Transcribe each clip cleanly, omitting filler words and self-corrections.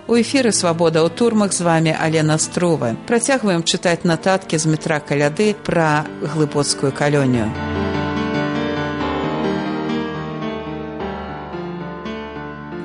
У эфіры «Свабода ў турмах», з вами Алена Струва. Працягваем чытаць нататкі з метра Каляды пра глыбоцкую калонію.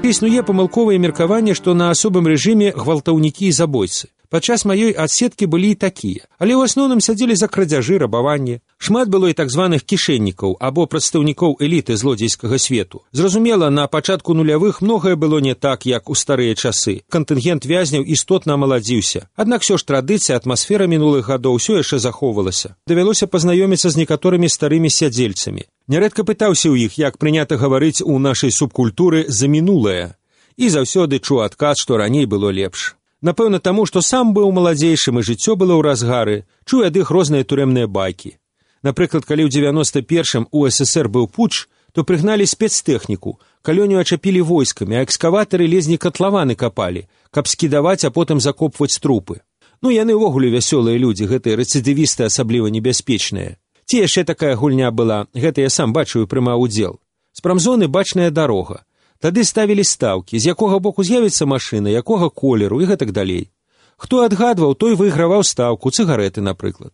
Існуе памылковае меркаванне, што на асобым рэжыме гвалтаўнікі і забойцы. Падчас маёй адсеткі былі і такія, але ў асноўным сядзелі за крадзяжы, рабаванне. Шмат было і так званых кішэннікаў або прадстаўнікоў эліты злодзейскага свету. Зразумела, на пачатку нулявых многае было не так, як у старыя часы. Кантынгент вязняў істотна амаладзіўся. Аднак усё ж традыцыя, атмасфера мінулых гадоў усё яшчэ захоўвалася. Давялося пазнаёміцца з некаторымі старымі сядзельцамі. Нярэдка пытаўся ў іх, як прынята гаварыць у нашай субкультуры за мінулае. І заўсёды чуў адказ, што раней было лепш. Напэўна, таму, што сам быў маладзейшым і жыццё было ў разгары, чуў ад іх розныя турэмныя байкі. Напрыклад, калі ў 91-м у СССР быў путч, то прыгналі спецтэхніку, калонію ачапілі войскамі, а экскаватары лезні катлаваны капалі, каб скідаваць, а потым закопваць трупы. Ну, яны ўвогуле вясёлыя людзі, гэтыя рэцыдывісты асабліва небяспечныя. Ці яшчэ такая гульня была, гэта я сам бачыў і прымаў удзел. З прамзоны бачная дарога. Тады ставілі стаўкі, з якога боку з'явіцца машына, якога колеру і гэтак далей. Хто адгадваў, той выйграваў стаўку, цыгарэты, напрыклад.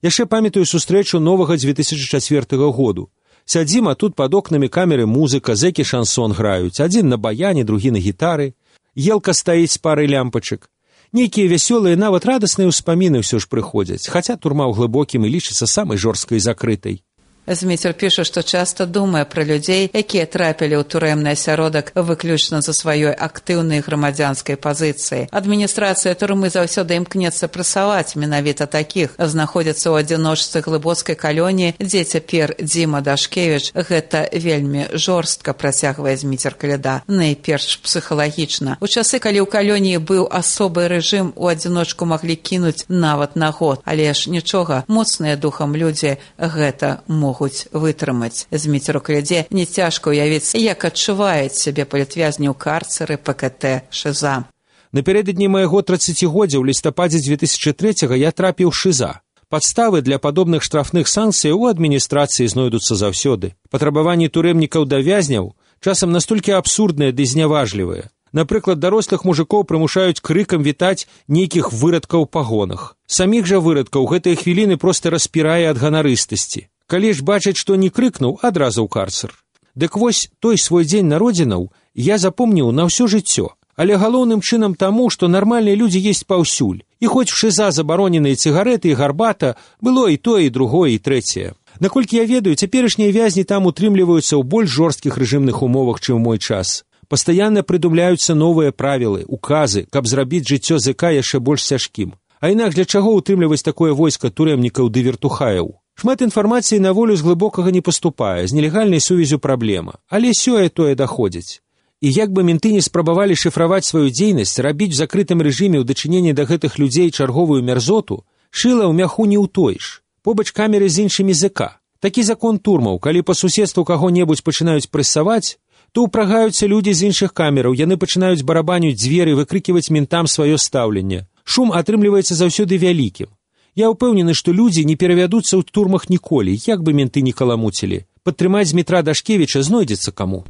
Яшчэ памятаю сустрэчу новага 2004 году. Сядзім, а тут пад окнамі камеры музыка, зэкі шансон граюць, адзін на баяне, другі на гітары. Елка стаіць з парай лямпачак. Нейкія вясёлыя, нават радасныя ўспаміны ўсё ж прыходзяць, хаця турма ў глыбокім і лічыцца самай жорсткай і закрытай. Зміцер піша, што часта думае пра людзей, якія трапілі ў турэмны асяродак выключна за сваёй актыўнай грамадзянскай пазіцыі. Адміністрацыя турмы заўсёды імкнецца прэсаваць менавіта такіх. Знаходзяцца ў адзіночцы глыбоцкай калоніі, дзе цяпер Дзіма Дашкевіч. Гэта вельмі жорстка, працягвае Зміцер Каляда, найперш псіхалагічна. У часы, калі ў калоніі быў асобы рэжым, у адзіночку маглі кінуць нават на год. Але ж нічога, моцныя духам людзі гэта могуць вытрымаць. Зміцеру Каляде не цяжка ўявіць, як адчуваюць сябе палітвязні ў карцеры ПКТ ШИЗА. Напярэдадні майго 30-годдзя ў лістападзе 2003-го я трапіў ў ШИЗА. Падставы для падобных штрафных санкцый у адміністрацыі знойдуцца заўсёды. Патрабаванні турэмнікаў да вязняў часам настолькі абсурдныя ды зняважлівыя. Напрыклад, дарослых мужикоў прымушаюць крыкам вітаць нейкіх вырадкаў у пагонах. Саміх жа вырадкаў гэтыя хвіліны проста распірае ад ганарыстасці. Калі ж бачыць, што не крыкнуў, адразу ў карцер. Дык вось той свой дзень народзінаў я запомніў на ўсё жыццё. Але галоўным чынам таму, што нармальныя людзі есть паўсюль. І хоць в ШИЗА забароненыя цыгарэты і гарбата, было і тое, і другое, і трэцяе. Наколькі я ведаю, цяперашнія вязні там утрымліваюцца ў больш жорсткіх рэжымных умовах, чым у мой час. Пастаянна прыдумляюцца новыя правілы, указы, каб зрабіць жыццё ЗК яшчэ больш цяжкім. А інакш для чаго утрымліваць такое войска турэмнікаў ды вертухаяў? Шмат інфармацыі на волю з глыбокага не паступае, з нелегальнай сувязю праблема, але сёе-тое даходзіць. І як бы менты не спрабавалі шыфраваць сваю дзейнасць, рабіць в закрытым рэжыме ў дачыненні да гэтых людзей чарговую мярзоту, шыла ў мяху не ўтоіш. Побач камеры з іншымі ЗК. Такі закон турмаў, калі па суседству каго-небудзь пачынаюць прэсаваць, то ўпрагаюцца людзі з іншых камераў, яны пачынаюць барабаніць дзверы, выкрыківаць ментам сваё стаўленне. Шум атрымліваецца заўсёды вялікім. Я ўпэўнены, што людзі не перавядуцца ў турмах ніколі, як бы менты не каламуцілі. Падтрымаць Змітра Дашкевіча знойдзецца каму.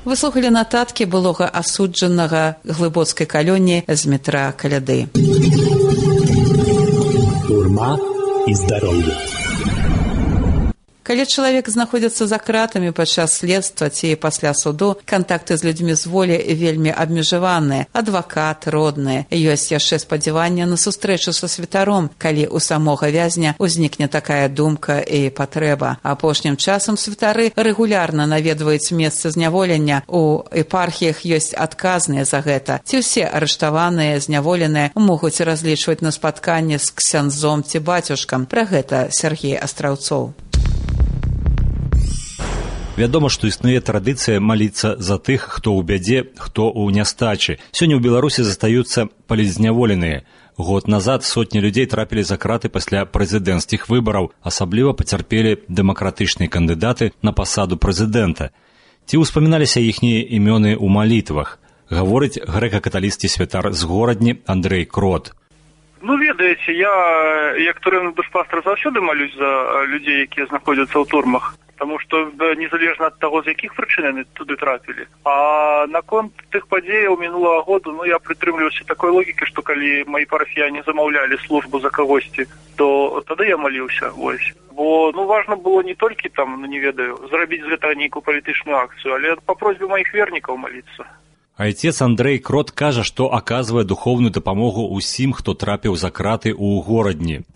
Вы слухалі нататкі былога асуджанага глыбоцкай калоніі Змітра Каляды. Турма і здароўе. Калі чалавек знаходзіцца за кратамі падчас следства ці пасля суду, кантакты з людзьмі з волі вельмі абмежаваныя, адвакат, родныя. Ёсць яшчэ спадзяванне на сустрэчу са святаром, калі у самога вязня ўзнікне такая думка і патрэба. Апошнім часам святары рэгулярна наведваюць месцы зняволення. У епархіях ёсць адказныя за гэта. Ці ўсе арыштаваныя, зняволеныя могуць разлічваць на спатканне з ксяндзом ці бацюшкам. Пра гэта Сергей Астраўцоў. Вядома, што існуе традыцыя маліцца за тых, хто ў бядзе, хто ў нястачы. Сёння ў Беларусі застаюцца палітзняволеныя. Год назад сотні людзей трапілі за краты пасля прэзідэнцкіх выбараў, асабліва пацярпелі дэмакратычныя кандыдаты на пасаду прэзідэнта. Ці ўспаміналіся іхнія імёны ў малітвах, гаворыць грэка-каталіцкі святар з горадні Андрэй Крот. Ну, ведаеце, я, як турэмны душпастар, заўсёды малюсь за людзей, якія знаходзяцца ў турмах. тому што незалежна ад таго, з якіх прычын яны туды трапілі. А наконт тых падзеяў мінулага году, я прытрымліваюся такой логікі, што калі мои парафіяне замаўлялі службу за кагосьці, то тады я маліўся, вось. Бо, важна было не толькі там, не ведаю, зрабіць з гэтага нейкую палітычную акцыю, але па просьбе маіх вернікаў маліцца. Айцец Андрэй Крот кажа, што аказвае духоўную дапамогу ўсім, хто трапіў за краты ў горадні.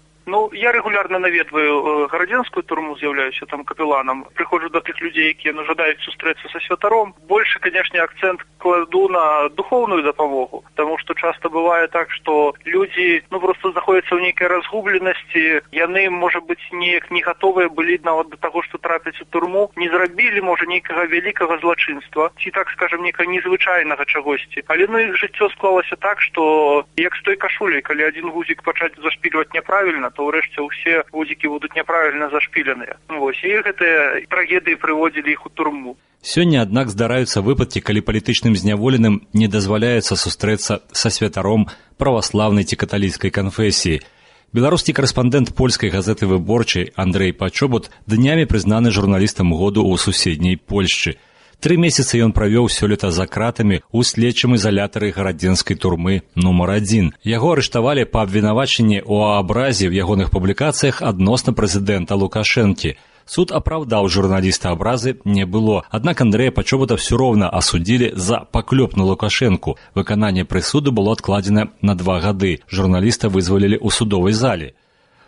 Я регулярно наведваю гарадзенскую турму, з'яўляюся там капеланам. Прыходжу до тых людзей, якія жадаюць сустрэцца са святаром. Больше, конечно, акцент кладу на духовную дапамогу, потому что часто бывае так, что люди, просто знаходзяцца ў нейкай разгубленасці, яны, можа быць, неяк не гатовыя былі нават до таго, што трапіць у турму, не зрабілі, можа, нейкага вялікага злачынства, ці, так скажем, нейкага незвычайнага чагосьці. Але іх жыццё склалася так, што як з той кашуляй, калі адзін гузік пачаць зашпільваць няправільна, то ўрэшце ўсе гузікі будуць няправільна зашпіленыя. І гэтыя трагедыі прыводзілі іх у турму. Сёння, аднак, здараюцца выпадкі, калі палітычным зняволеным не дазваляецца сустрэцца са святаром праваслаўнай ці каталіцкай канфесіі. Беларускі карэспандэнт польскай газеты «Выборчай» Андрэй Пачобут днямі прызнаны журналістам году ў суседняй Польшчы. 3 месяцы ён правёў сёлета за кратамі ў следчым изалятары гарадзенскай турмы нумар 1. Яго арыштавалі па абвінавачанні ў абразе ў ягоных публікацыях адносна прэзідэнта Лукашэнкі. Суд апраўдаў журналіста, абразы не было. Аднак Андрэя Пачобута ўсё роўна асудзілі за паклёп на Лукашэнку. Выкананне прысуду было адкладзена на 2 гады. Журналіста вызвалілі ў судовай зале.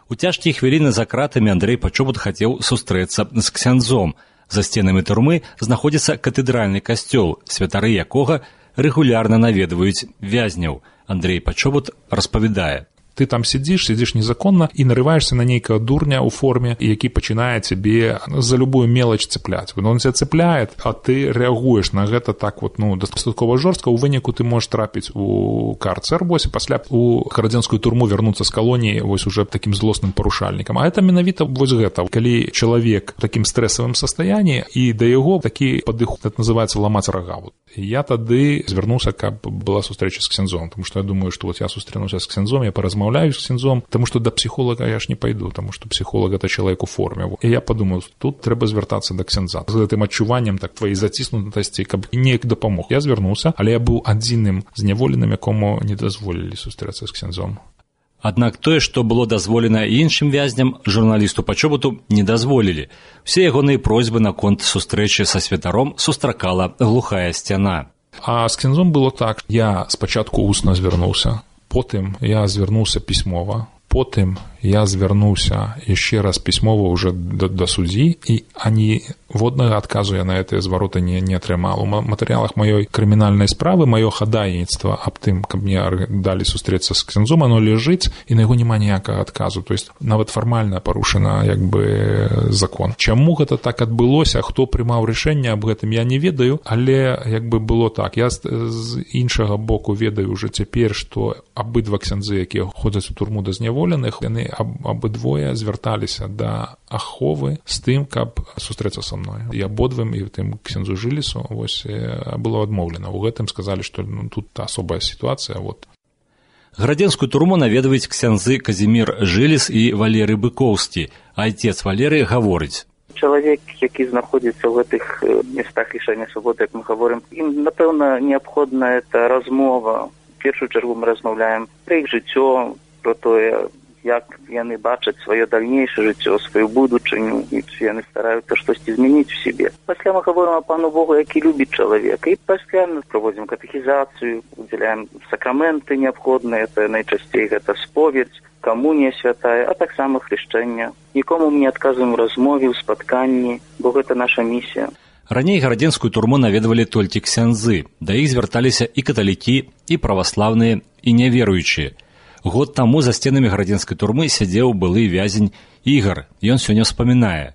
У цяжкія хвіліны за кратамі Андрэй Пачобут хацеў сустрэцца з ксяндзом. За сценамі турмы знаходзіцца катэдральны касцёл, святары якога рэгулярна наведваюць вязняў. Андрэй Пачобут распавядае. Ты там сидишь незаконно и нарываешься на некого дурня у форме, який починає тебе за любую мелочь цеплять. Он тебя цепляет, а ты реагуешь на гэта так достатково жорстко. У выніку ты можешь трапить у карцер, пасля у гарадзенскую турму вернуться с колонии уже таким злостным парушальником. А это менавіта гэта. Калі человек в таким стрессовым состоянии, и до его таки подых, это называется ломать рога. Я тады звярнуўся, каб была сустрэча з ксяндзом, потому что я думаю, что я сустрэнуся з ксяндзом, я поразмаўляю з ксяндзом, потому что до психолога я ж не пойду, потому что психолог это человек у форме. И я подумал, тут трэба звяртацца да ксяндза. З гэтым адчуваннем так твоей заціснутасці, каб неяк дапамог. Я звярнуўся, але я быў адзіным зняволеным, якому не дазволілі сустрэцца з ксяндзом. Аднак тое, што было дазволена іншым вязням, журналісту Пачобуту не дазволілі. Усе ягоныя просьбы наконт сустрэчы са святаром сустракала глухая сцяна. А з ксяндзом было так. Я спачатку устна звярнуўся, потым я звярнуўся пісьмова, потым я звярнуўся яшчэ раз пісьмова уже да суддзі, і ані воднага адказу я на гэтыя звароты не атрымаў. У матэрыялах маёй крымінальнай справы маё хадайніцтва аб тым, каб мне далі сустрэцца з ксяндзом, оно ляжыць, і на яго няма ніякага адказу. То есть нават фармальна парушана закон. Чаму гэта так адбылося, хто прымаў рашэнне аб гэтым, я не ведаю, але было так. Я з іншага боку ведаю уже цяпер, што абыдва ксяндзы, якія ходзяць у турму да зняволеных, яны абыдвое звярталіся да аховы з тым, каб сустрэцца са мной. І абодвым, і тым ксяндзу Жылісу было адмоўлена. У гэтым сказалі, што тут асобая сітуацыя. Гарадзенскую турму наведваюць ксяндзы Казімір Жыліс і Валерый Быкоўскі. Айцец Валерый гаворыць. Чалавек, які знаходзіцца ў гэтых местах лішання свабоды, як мы гаворым, ім, напэўна, неабходна эта размова. В першую чаргу мы размаўляем пра іх жыццё, про тое, як яны бачаць сваё дальнейшае жыццё, сваю будучыню, і яны стараюцца штосьці змяніць у сябе. Пасля мы гаворым о Пану Богу, які любіць чалавека, і пасля мы праводзім катэхізацыю, удзяляем сакраменты неабходныя, это найчасцей гэта споведь, камунія святая, а таксама хрышчэнне. Нікому мы не адказваем у размове, у спатканні, бо гэта наша місія. Раней гарадзенскую турму наведвалі толькі ксяндзы, да іх звярталіся і каталікі, і праваслаўныя, і няверуючыя. Год таму за стенами гарадзенскай турмы сядзеў былы вязень Игорь. Ён сёння вспоминае.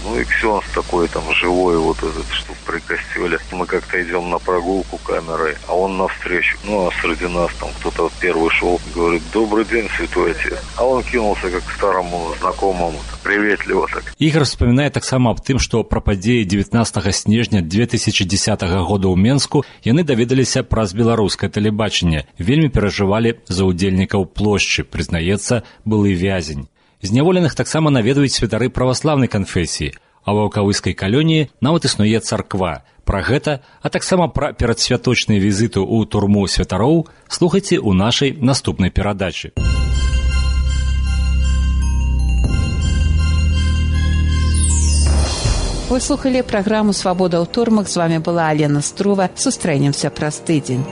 Ну и ксенз такой там живой, вот этот, что при костеле. Мы как-то идем на прогулку камерой, а он навстречу. Ну а среди нас там кто-то первый шел, говорит: «Добрый день, святой отец». А он кинулся как к старому знакомому, приветливо так. Игорь вспоминае таксама аб тым, што пра падзеі 19 снежня 2010 года ў Менску яны даведаліся праз беларускае тэлебачанне. Вельмі перажывалі за ўдзельнікаў плошчы, прызнаецца былы вязень. Зняволеных таксама наведваюць святары праваслаўнай канфесіі. А ва ваўкавыскай калоніі нават існуе царква. Пра гэта, а таксама пра перадсвяточныя візіты ў турму святароў слухайце ў нашай наступнай перадачы. Вы слухали праграму «Свабода ў турмах». З вами была Алена Струва. Сустрэнемся праз тыдзень.